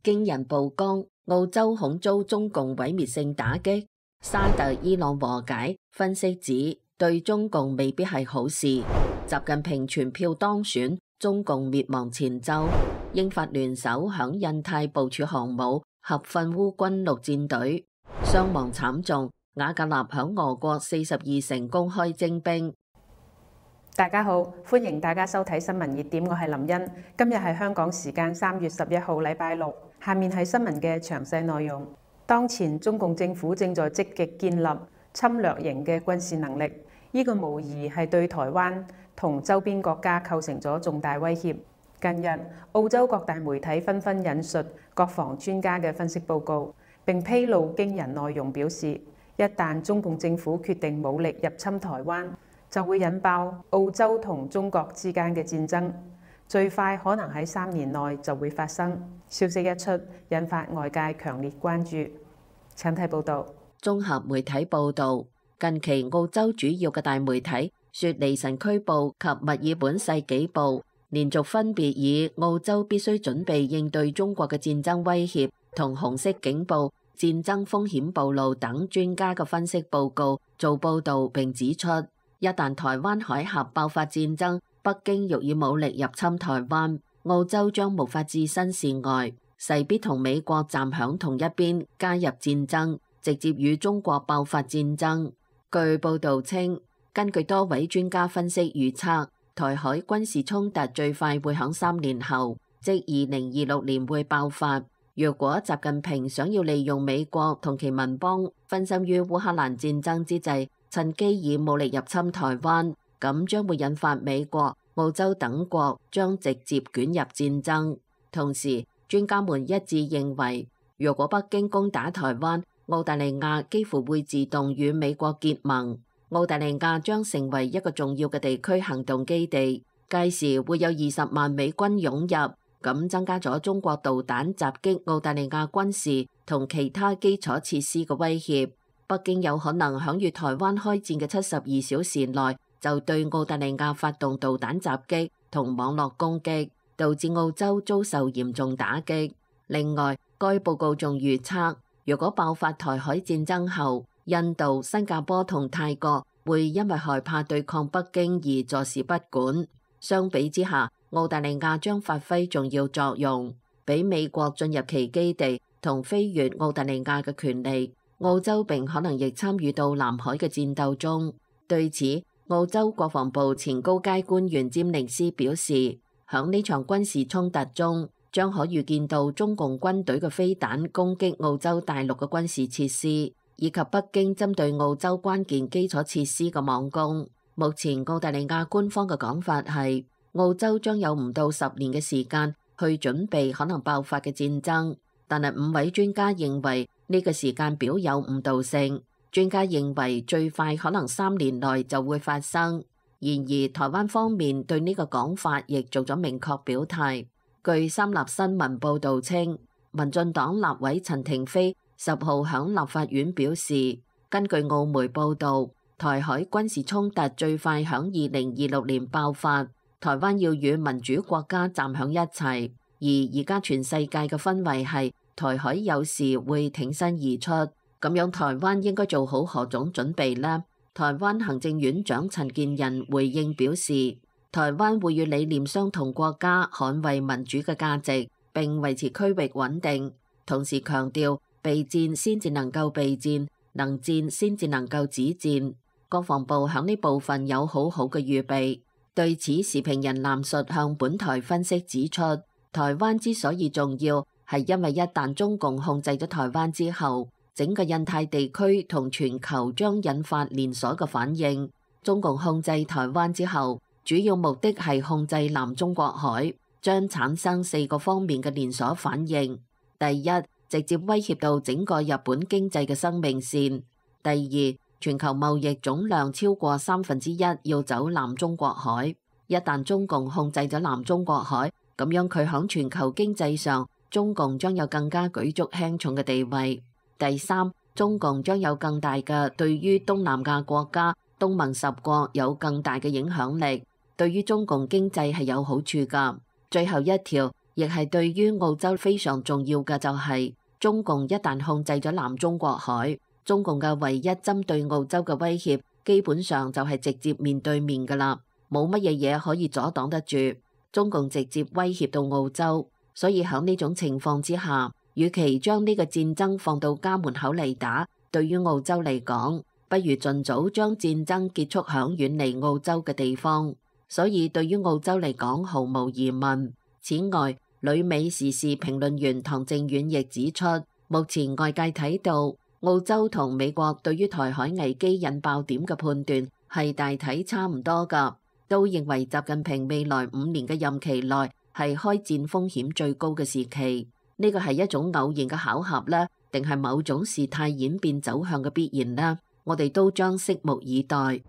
驚人曝光，澳洲恐遭中共毀滅性打擊。沙特伊朗和解，分析指對中共未必係好事。習近平全票當選，中共滅亡前奏。英法聯手響印太部署航母，合訓烏軍陸戰隊，傷亡慘重。瓦格納響俄國42城公開徵兵。大家好，歡迎大家收睇新聞熱點，我係林茵。今日係香港時間3月11號，禮拜六。下面係新聞嘅詳細內容。當前中共政府正在積極建立侵略型嘅軍事能力，呢個無疑係對台灣同周邊國家構成咗重大威脅。近日，澳洲各大媒體紛紛引述國防專家嘅分析報告，並披露驚人內容，表示一旦中共政府決定武力入侵台灣，就會引爆澳洲同中國之間嘅戰爭，最快可能喺3年內就會發生。消息一出，引發外界強烈關注。請睇報導。綜合媒體報導，近期澳洲主要嘅大媒體雪梨晨區報及墨爾本世紀報連續分別以澳洲必須準備應對中國嘅戰爭威脅同紅色警報、戰爭風險暴露等專家嘅分析報告做報導，並指出，一旦台灣海峽爆發戰爭，北京欲以武力入侵台灣，澳洲將無法置身事外，勢必同美國站響同一邊，加入戰爭，直接與中國爆發戰爭。據報導稱，根據多位專家分析預測，台海軍事衝突最快會響3年後，即2026年會爆發。若果習近平想要利用美國同其盟邦分心於烏克蘭戰爭之際，趁機以武力入侵台灣，咁將會引發美國、澳洲等國將直接捲入戰爭。同時，專家們一致認為，若果北京攻打台灣，澳大利亞幾乎會自動與美國結盟，澳大利亞將成為一個重要嘅地區行動基地，屆時會有20萬美軍湧入，咁增加咗中國導彈襲擊澳大利亞軍事同其他基礎設施嘅威脅。北京有可能響與台灣開戰嘅72小時內就對澳大利亞發動導彈襲擊同網絡攻擊，導致澳洲遭受嚴重打擊。另外，該報告仲預測，如果爆發台海戰爭後，印度、新加坡同泰國會因為害怕對抗北京而坐視不管。相比之下，澳大利亞將發揮重要作用，俾美國進入其基地同飛越澳大利亞嘅權利。澳洲並可能亦參與到南海嘅戰鬥中。對此，澳洲國防部前高階官員詹寧斯表示，響呢場軍事衝突中，將可預見到中共軍隊嘅飛彈攻擊澳洲大陸嘅軍事設施，以及北京針對澳洲關鍵基礎設施嘅網攻。目前澳大利亞官方嘅講法係，澳洲將有唔到10年嘅時間去準備可能爆發嘅戰爭，但係5位專家認為呢個時間表有誤導性。專家認為最快可能3年內就會發生。然而，台灣方面對呢個講法亦做咗明確表態。據三立新聞報導稱，民進黨立委陳亭妃10號響立法院表示，根據澳媒報導，台海軍事衝突最快響2026年爆發，台灣要與民主國家站響一齊。而家全世界嘅氛圍係台海有時會挺身而出，咁樣台灣應該做好何種準備呢？台灣行政院長陳建仁回應表示，台灣會與理念相同國家捍衛民主嘅價值，並維持區域穩定，同時強調備戰先至能夠備戰，能戰先至能夠止戰。國防部響呢部分有好好嘅預備。對此，時評人藍述向本台分析指出，台灣之所以重要，係因為一旦中共控制咗台灣之後，整個印太地區同全球將引發連鎖嘅反應。中共控制台灣之後，主要目的係控制南中國海，將產生4個方面嘅連鎖反應。第一，直接威脅到整個日本經濟嘅生命線。第二，全球貿易總量超過1/3要走南中國海。一旦中共控制咗南中國海，咁樣佢響全球經濟上，中共將有更加舉足輕重嘅地位。第三，中共將有更大嘅對於東南亞國家、東盟10國有更大嘅影響力，對於中共經濟係有好處㗎。最後一條，亦係對於澳洲非常重要嘅就係，中共一旦控制咗南中國海，中共嘅唯一針對澳洲嘅威脅，基本上就係直接面對面㗎啦，冇乜嘢嘢可以阻擋得住。中共直接威脅到澳洲，所以喺呢種情況之下，與其將呢個戰爭放到家門口嚟打，對於澳洲嚟講，不如盡早將戰爭結束響遠離澳洲嘅地方。所以對於澳洲嚟講，毫無疑問。此外，旅美時事評論員唐正遠亦指出，目前外界睇到澳洲同美國對於台海危機引爆點嘅判斷係大體差唔多㗎，都認為習近平未來5年嘅任期內係開戰風險最高嘅時期。呢個係一種偶然嘅巧合呢，定係某種事態演變走向嘅必然呢？我哋都將拭目以待。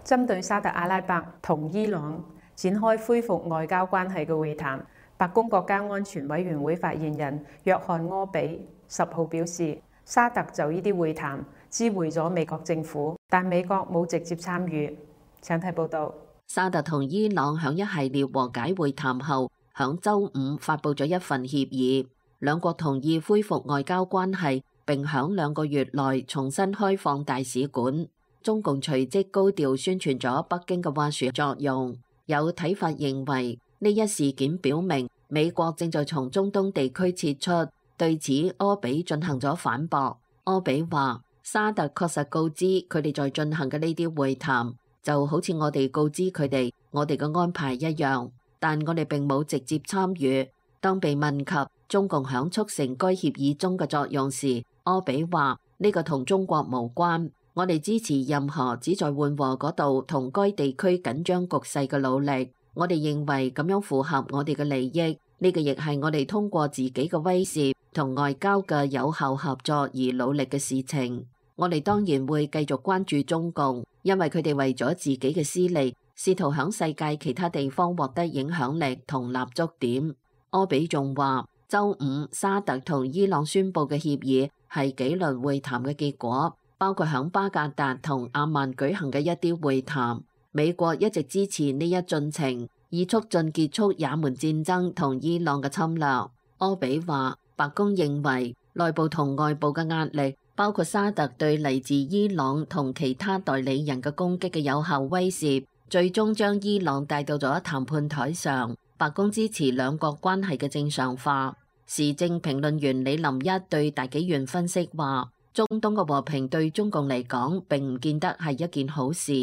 針對沙特阿拉伯同伊朗展開恢復外交關係嘅會談，白宮國家安全委員會發言人約翰柯比10號表示，沙特就呢啲會談知會咗美國政府，但美國冇直接參與。請睇報導。沙特同伊朗響一系列和解會談後，響週五發布咗一份協議，兩國同意恢復外交關係，並響2個月內重新開放大使館。中共隨即高調宣傳咗北京嘅斡旋作用。有睇法認為，呢一事件表明美國正在從中東地區撤出。對此，柯比進行咗反駁。柯比話：沙特確實告知佢哋在進行嘅呢啲會談，就好似我哋告知佢哋我哋嘅安排一樣，但我哋並冇直接參與。當被問及中共響促成該協議中嘅作用時，柯比話：呢個同中國無關。我哋支持任何旨在緩和嗰度同該地區緊張局勢嘅努力。我哋認為咁樣符合我哋嘅利益。呢個亦係我哋通過自己嘅威懾同外交嘅有效合作而努力嘅事情。我哋當然會繼續關注中共，因為佢哋為咗自己嘅私利，試圖響世界其他地方獲得影響力同立足點。柯比仲話，週五沙特同伊朗宣布嘅協議係幾輪會談嘅結果，包括響巴格達同阿曼舉行嘅一啲會談。美國一直支持呢一進程，以促進結束也門戰爭同伊朗嘅侵略。柯比話，白宮認為內部同外部嘅壓力，包括沙特對嚟自伊朗同其他代理人嘅攻擊嘅有效威懾，最終將伊朗帶到咗談判台上。白宮支持兩國關係嘅正常化。時政評論員李林一對大紀元分析話，中東嘅和平對中共嚟講並唔見得係一件好事，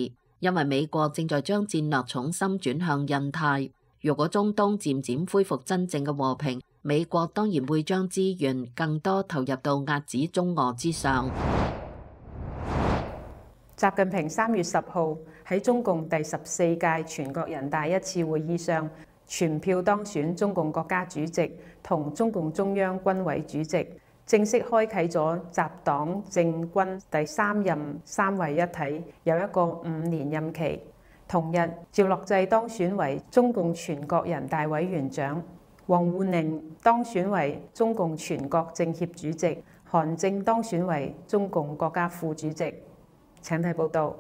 因為美國正在將戰略重心轉向印太。如果中東漸漸恢復真正嘅和平，美國當然會將資源更多投入到壓止中俄之上。習近平3月10號喺中共第14屆全國人大一次會議上全票當選中共國家主席同中共中央軍委主席，正式開啟咗習黨政軍第3任三位一體，有一個5年任期。同日，趙樂際當選為中共全國人大委員長，王滬寧當選為中共全國政協主席，韓正當選為中共國家副主席。請睇報道。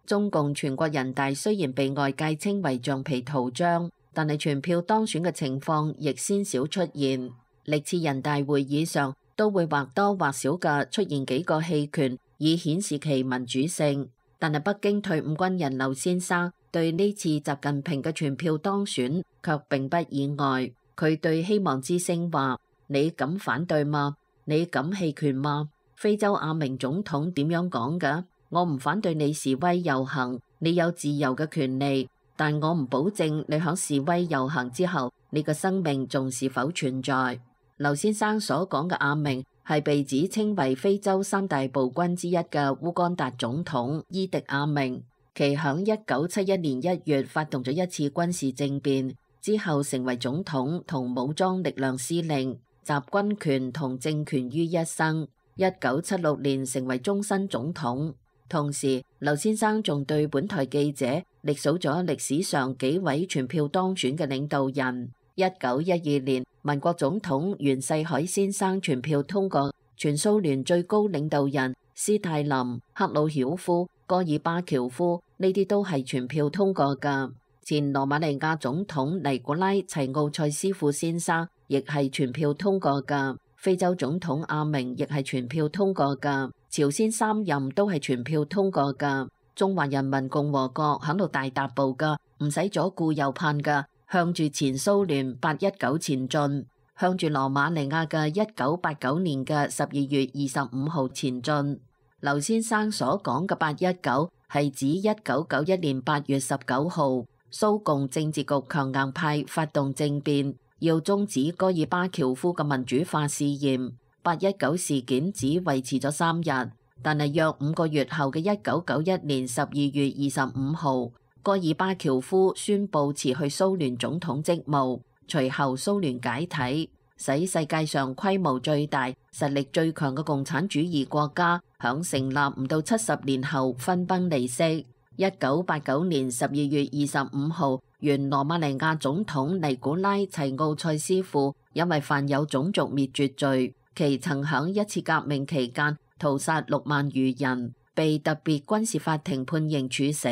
中共全國人大雖然被外界稱為橡皮圖章，但係全票當選嘅情況亦鮮少出現。歷次人大會議上都會或多或少嘅出現幾個棄權，以顯示其民主性。但係北京退伍軍人劉先生對呢次習近平嘅全票當選卻並不意外。佢對希望之聲話：你敢反對嗎？你敢棄權嗎？非洲阿明總統點樣講㗎？我唔反對你示威遊行，你有自由嘅權利，但我唔保證你響示威遊行之後，你嘅生命仲是否存在。劉先生所講嘅阿明係被指稱為非洲3大暴君之一嘅烏干達總統伊迪阿明，其響1971年1月發動咗一次軍事政變之後，成為總統同武裝力量司令，集軍權同政權於一身。1976年成為終身總統。同時，劉先生仲對本台記者歷數咗歷史上幾位全票當選嘅領導人。1912年，民國總統袁世凱先生全票通過全蘇聯最高領導人斯大林、赫魯曉夫、戈爾巴喬夫，呢啲都係全票通過㗎。前羅馬尼亞總統尼古拉齊奧塞斯庫先生亦係全票通過㗎，非洲總統阿明亦係全票通過㗎，朝鮮3任都係全票通過㗎。中華人民共和國響度大踏步㗎，唔使左顧右盼㗎，向住前蘇聯819前進，向住羅馬尼亞嘅1989年嘅12月25號前進。劉先生所講嘅819係指1991年8月19號，蘇共政治局強硬派發動政變，要終止戈爾巴喬夫嘅民主化試驗。819事件只維持咗3日，但係約5個月後嘅1991年12月25號，戈爾巴喬夫宣布辭去蘇聯總統職務，隨後蘇聯解體，使世界上規模最大、實力最強嘅共產主義國家響成立唔到70年後分崩離析。1989年12月25號，原羅馬尼亞總統尼古拉齊奧塞斯庫因為犯有種族滅絕罪，其曾響一次革命期間屠殺6萬餘人，被特別軍事法庭判刑處死。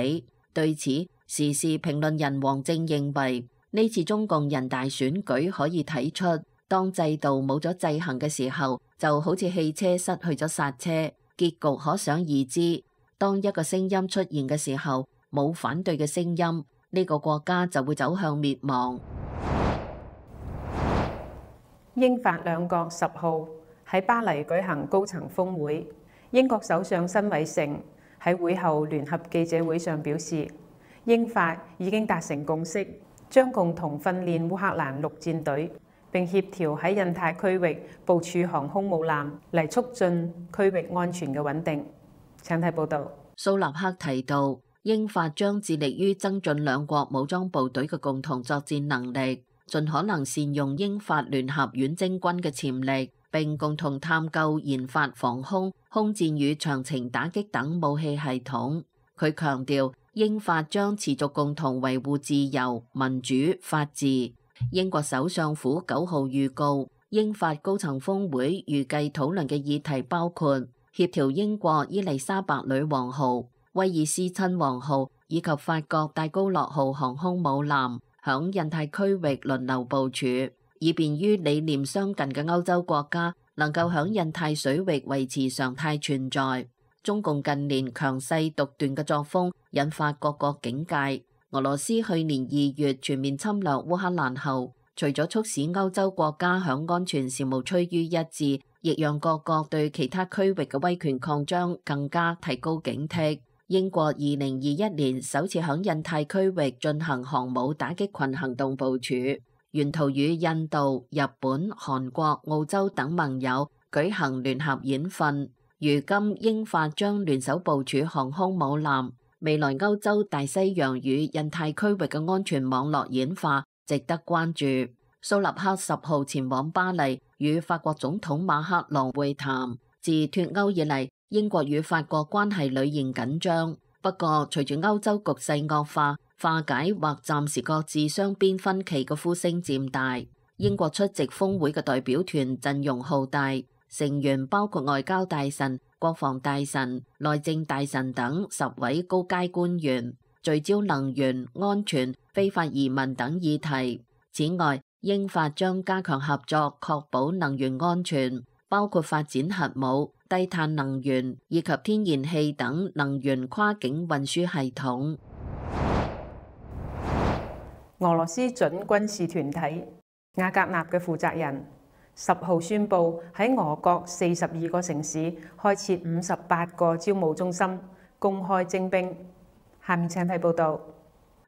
對此，時事評論人王正認為，呢次中共人大選舉可以睇出，當制度冇咗制衡嘅時候，就好似汽車失去咗剎車，結局可想而知。當一個聲音出現嘅時候，冇反對嘅聲音，呢個國家就會走向滅亡。英法兩國10號喺巴黎舉行高層峰會，英國首相辛偉誠喺會後聯合記者會上表示，英法已經達成共識，將共同訓練烏克蘭陸戰隊，並協調喺印太區域部署航空母艦嚟促進區域安全嘅穩定。請睇報道。蘇納克提到，英法將致力於增進兩國武裝部隊嘅共同作戰能力，盡可能善用英法聯合遠征軍嘅潛力，並共同探究研發防空、空戰與長程打擊等武器系統。佢強調，英法將持續共同維護自由、民主、法治。英國首相府9號預告，英法高層峰會預計討論嘅議題包括協調英國伊麗莎白女王號、威爾斯親王號以及法國戴高樂號航空母艦響印太區域輪流部署，以便於理念相近嘅歐洲國家能夠響印太水域維持常態存在。中共近年強勢獨斷嘅作風引發各國警戒。俄羅斯去年2月全面侵略烏克蘭後，除咗促使歐洲國家響安全事務趨於一致，亦讓各國對其他區域嘅威權擴張更加提高警惕。英國2021年首次響印太區域進行航母打擊群行動部署，沿途與印度、日本、韓國、澳洲等盟友舉行聯合演訓。如今英法將聯手部署航空母艦，未來歐洲大西洋與印太區域嘅安全網絡演化值得關注。蘇納克10號前往巴黎與法國總統馬克龍會談。自脫歐以嚟，英國與法國關係屢現緊張。不過，隨住歐洲局勢惡化，化解或暫時擱置雙邊分歧嘅呼聲漸大。英國出席峰會嘅代表團陣容浩大，成員包括外交大臣、國防大臣、內政大臣等10位高階官員，聚焦能源、安全、非法移民等議題。此外，英法將加強合作，確保能源安全，包括發展核武、低碳能源以及天然氣等能源跨境運輸系統。俄羅斯準軍事團體瓦格納嘅負責人10號宣布喺俄國42個城市開設58個招募中心，公開徵兵。下面請睇報道。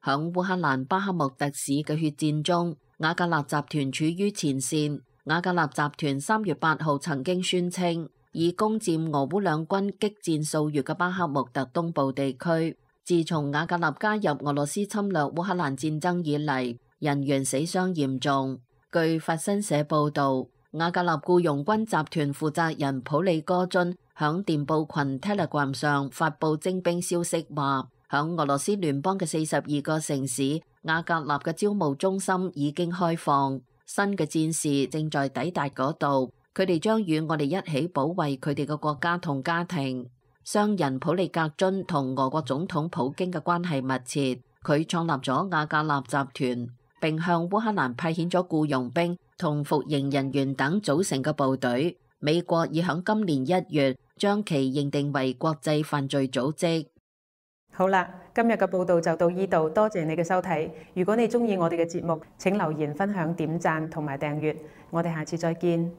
響烏克蘭巴克穆特市嘅血戰中，瓦格納集團處於前線。瓦格納集團3月8號曾經宣稱，已攻佔俄烏兩軍激戰數月嘅巴克穆特東部地區。自從瓦格納加入俄羅斯侵略烏克蘭戰爭以嚟，人員死傷嚴重。據法新社報導，瓦格納僱傭軍集團負責人普里戈津響電報群 Telegram 上發布徵兵消息，話響俄羅斯聯邦嘅42個城市，瓦格納嘅招募中心已經開放，新嘅戰士正在抵達嗰度，佢哋將與我哋一起保衛佢哋嘅國家同家庭。商人普利格津同俄國總統普京嘅關係密切，佢創立咗瓦格納集團，並向烏克蘭派遣咗僱傭兵同服刑人員等組成嘅部隊。美國已響今年1月將其認定為國際犯罪組織。好啦，今日嘅報道就到呢度，多謝你嘅收睇。如果你中意我哋嘅節目，請留言、分享、點讚同埋訂閱。我哋下次再見。